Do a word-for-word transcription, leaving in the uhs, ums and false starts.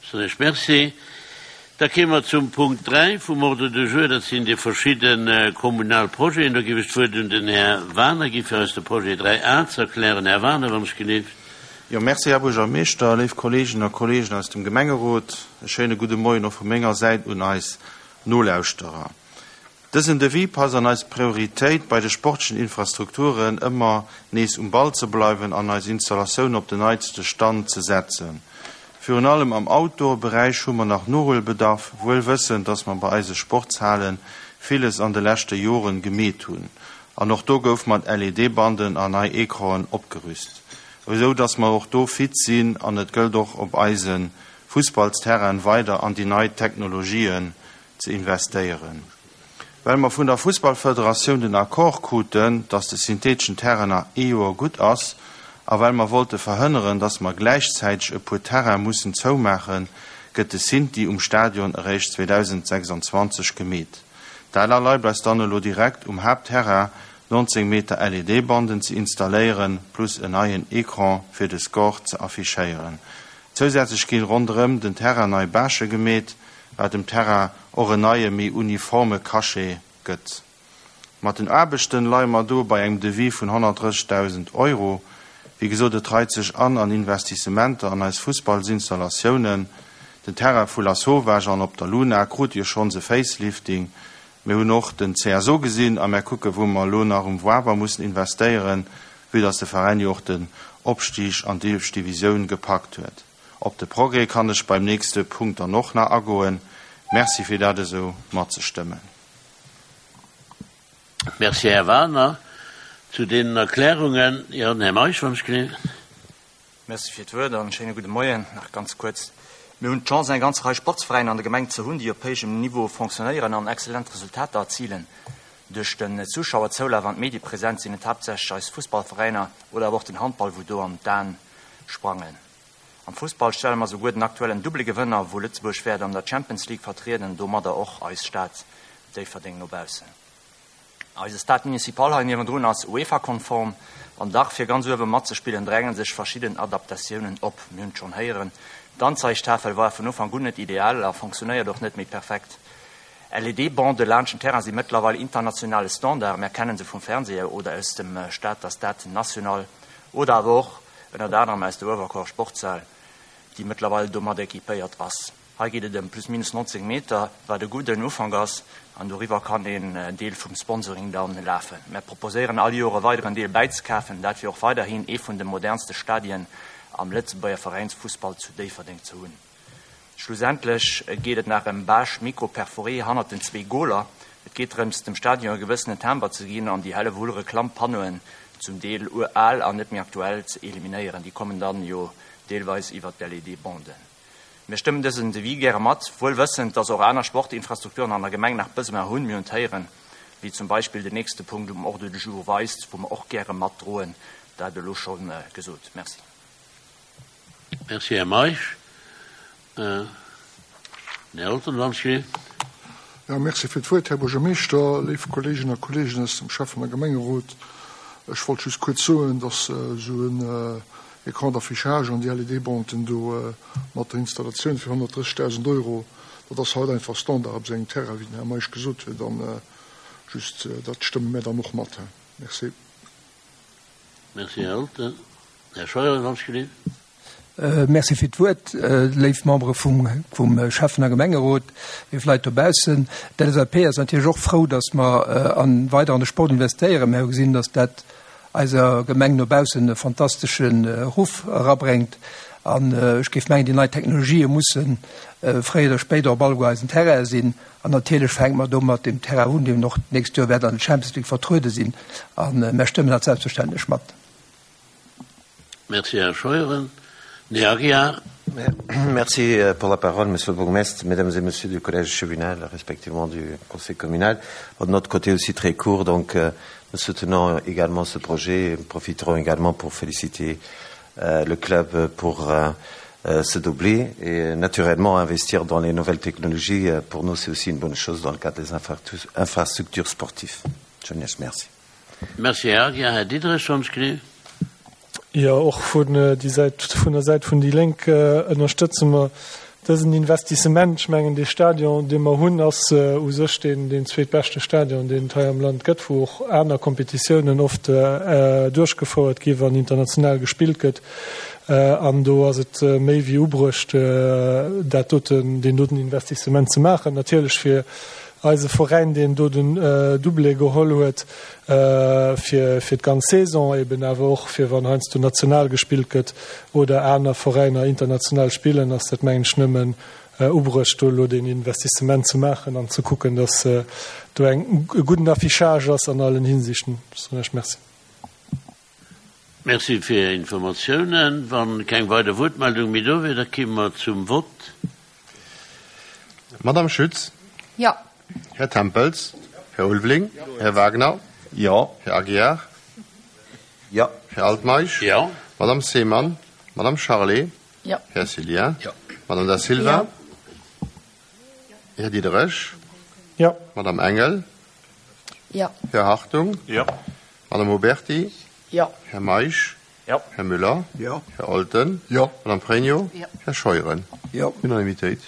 Soen ech Merci. Da kéime mer zum Punkt dräi vum Ordre du jour, dat sinn déi verschidde kommunal Projeten. Do géif ech d'Wuert un den Här Waner gi fir eis de Projet dräi A ze erklären. Här Waner, wann ech gelift. Jo, merci, Här Buergermeeschter, léif Kolleeginnen a Kolleegen aus dem Gemengerot, e schéine gudde Moien och vu menger Säit un eis Nolauschterer. Dësen Devis passt an eis Prioritéit bei de sportlechen Infrastrukturen, ëmmer nees um Ball ze bleiwen an eis Installatiounen op den neitste Stand ze setzen. Virun allem am Outdoor-Beräich hu mer nach Nohuelbedarf, wuel wëssend, dass mer bei eise Sportshale villes an de leschte Joren gemeet hunn. An och do gouf mat L E D-Banden an nei Ecranen opgerüst, esou dass mer och do fit sinn, an et gëllt och op eise Fussballsterrainen weider an déi nei Technologien ze investéieren. Well mer vun der Fussballfederatioun den Accord kruten, dass de syntheeteschen Terrain nach ee Joer gutt ass, a well mer wollte verhënneren, dass mer gläichzäiteg e puer Terraine mussen zoumaachen, gëtt de Synthi um Stadion eréischt zweedausendsechsanzwanzeg gemeet. Dat erlaabt eis dann elo direkt um Haaptterrain nonzéng Meter L E D-Banden ze installéieren, plus en neien Ecran fir de Score ze affichéieren. Zousätzlech ginn ronderëm den Terrain nei Bâchë gemeet, wat dem Terrain och en neie méi uniforme Cachet gëtt. Mat den Aarbechten leie mer do bei engem Devis vun honnertdrëssegdausend Euro. Wéi gesot, et reit sech an an Investissementer an eis Fussballsinstallatiounen. Den Terrain vu Lasauvage an op der Luna krut jo schonns e Facelifting. Mir hunn och den C S O gesinn a mär kucke wou mer elo nach um Wawer mussen investéieren, vue dass de Veräin jo och den Opstig an d'éischt Divisioun gepackt huet. Op de Progrès kann ech beim nächste Punkt dann och nach agoen. Merci fir dat esou matzestëmmen. Merci, Här Waner. Zu den Erklärungen, jo, den Här Meisch, wann ech gelift. Merci fir d'Wuert an schéine gudde Moien. Nach ganz kuerz. Mir hunn d'Chance, eng ganz Rei Sportsveräiner an der Gemeng ze hunn, déi op héijem Niveau fonctionnéieren an exzellent Resultater erzilen. Duerch den Zuschauerzoulaf an d'Mediepresenz sinn et haaptsächlech eis Fussballveräiner oder awer och den Handball, wou do an d'An sprangen. Am Fussball stelle mer souguer den aktuellen Double-Gewënner, wou Lëtzebuerg wäert an der Champions League vertrieden, domadder och eis Stad Déifferdeng no baussen. Eise Stade Municipal hei niewendrun ass UEFA-konform an dach fir ganz uewe matzespillen drängen sech verschidden Adaptatiounen op. Mir hunn et schonn héieren, d'Anzeigtafel war vun Ufank un net ideal a fonctionnéiert och net méi perfekt. L E D-Bande laanscht den Terrain si mëttlerweil internationale Standard, mär kennen se vum Fernseher oder aus dem Stater Stade National oder awer och ënnert anerem aus der Uewerkuerer Sportshal, déi mëttlerweil domat equipéiert ass. Hei geet et ëm plus minus nonzéng Meter, wat e gudden Ufank ass, an doriwwer kann een Deel vum Sponsoring dann lafen. Mär proposéieren all Joer e weideren Deel bäizekafen, dat fir och weiderhin ee vun de modernste Stadien am Lëtzebuerger Veräinsfussball zu Déifferdeng ze hunn. Schlussendlech geet et nach ëm Bâche micro-perforée hannert den zwee Goler. Et geet drëms, dem Stadion e gewëssenen Timbre ze ginn an déi Hellewull Reklampannoen, zum Deel ural an net méi aktuell, ze eliminéieren. Déi kommen dann jo deelweis iwwer d'L E D-Banden. Mir stëmmen dësen Devis gäre mat, wuel wëssend, dass och aner Sportinfrastrukturen an der Gemeng nach Besoin hunn, mir hunn d'héieren, wéi zum Beispill den nächste Punkt um Ordre du jour weist, wou mer och gäre matdroen, dat elo schonn gesot. Merci. Merci, Här Meisch. Här Elton, wann ech gelift. Ja, merci fir d'Wuert, Här Buergermeeschter, léif Kolleeginnen a Kolleegen aus dem Schäffen- a Gemengerot. Ech wollt just kuerz soen, dass esou en Écran d'affichage an déi L E D-Banden do mat der Installatioun fir honnertdrëssegdausend Euro, dat ass haut einfach Standard op esou engem Terrain, wéi den Här Meisch gesot huet, an just dat stëmme mir dann och mat. Merci. Merci, Här Elton. Här Scheuer, wann ech gelift. Merci fir d'Wuert, léif Membere vum vum Schäffen- a Gemengerot, léif Leit dobaussen. D'L S A P ass natierlech och frou, datt mer an weider an de Sport investéieren. Mir hu gesinn, datt dat eiser Gemeng no baussen e fantastesche Ruff erabréngt. An ech géif mengen, déi nei Technologië musse fréier oder spéider op alleguer eisen Terraine sinn. An natierlech fänke mer do mat dem Terrain un, deen och d'nächst Joer wäert an der Champions League vertruede sinn. An mir stëmmen dat selbstverständlech mat. Merci, Här Scheuren. Här Aguiar. Merci pour la parole, Monsieur le bourgmestre, Mesdames et Messieurs du Collège échevinal, respectivement du Conseil communal. De notre côté aussi très court, donc euh, nous soutenons également ce projet et profiterons également pour féliciter euh, le club pour euh, euh, ce doublé et naturellement investir dans les nouvelles technologies, euh, pour nous c'est aussi une bonne chose dans le cadre des infrastructures sportives. Je vous remercie. Merci, Här Aguiar. Här Diderich, wann ech gelift. Jo, och vun déi Säit, vun der Säit vun déi Lénk ënnerstëtze mer Dësen Investissement, ech mengen, dee Stadion, dee mer hunn, ass u sech deen, deen zweetbeschte Stadion, deen et hei am Land gëtt, wou och aner Kompetitiounen oft duerchgefouert gi wann international gespillt gëtt. An do ass et méi wéi ubruecht, dat doten, deen doten Investissement ze maachen. Natierlech fir eise Veräin, deen do den Doublé geholl huet fir fir d'ganz Saison, eben awer och fir wann heiansdo national gespillt gëtt oder aner Veräiner international spillen, ass dat mengen ech nëmmen ubruecht, do elo deen Investissement ze maachen an ze kucken, datt do eng e gudden Affichage ass an allen Hinsichten. Ech soen Iech Merci. Merci fir Är Informatiounen. Wa keng weider Wuertmeldung méi do wier, da kimme mer zum Vott. Madame Schütz. Jo. Här Tempels. Här Ulveling. Här Wagner. Jo. Här Aguiar. Jo. Här Altmeisch. Jo. Madame Seemann. Madame Charlé. Jo. Här Cillien. Jo. Madame Da Silva. Här Diderich. Jo. Madame Engel. Jo. Här Hartung. Jo. Madame Oberti. Jo. Här Meisch. Jo. Här Müller. Jo. Här Olten. Jo. Madame Pregno. Jo. Här Scheuren. Jo. Unanimitéit.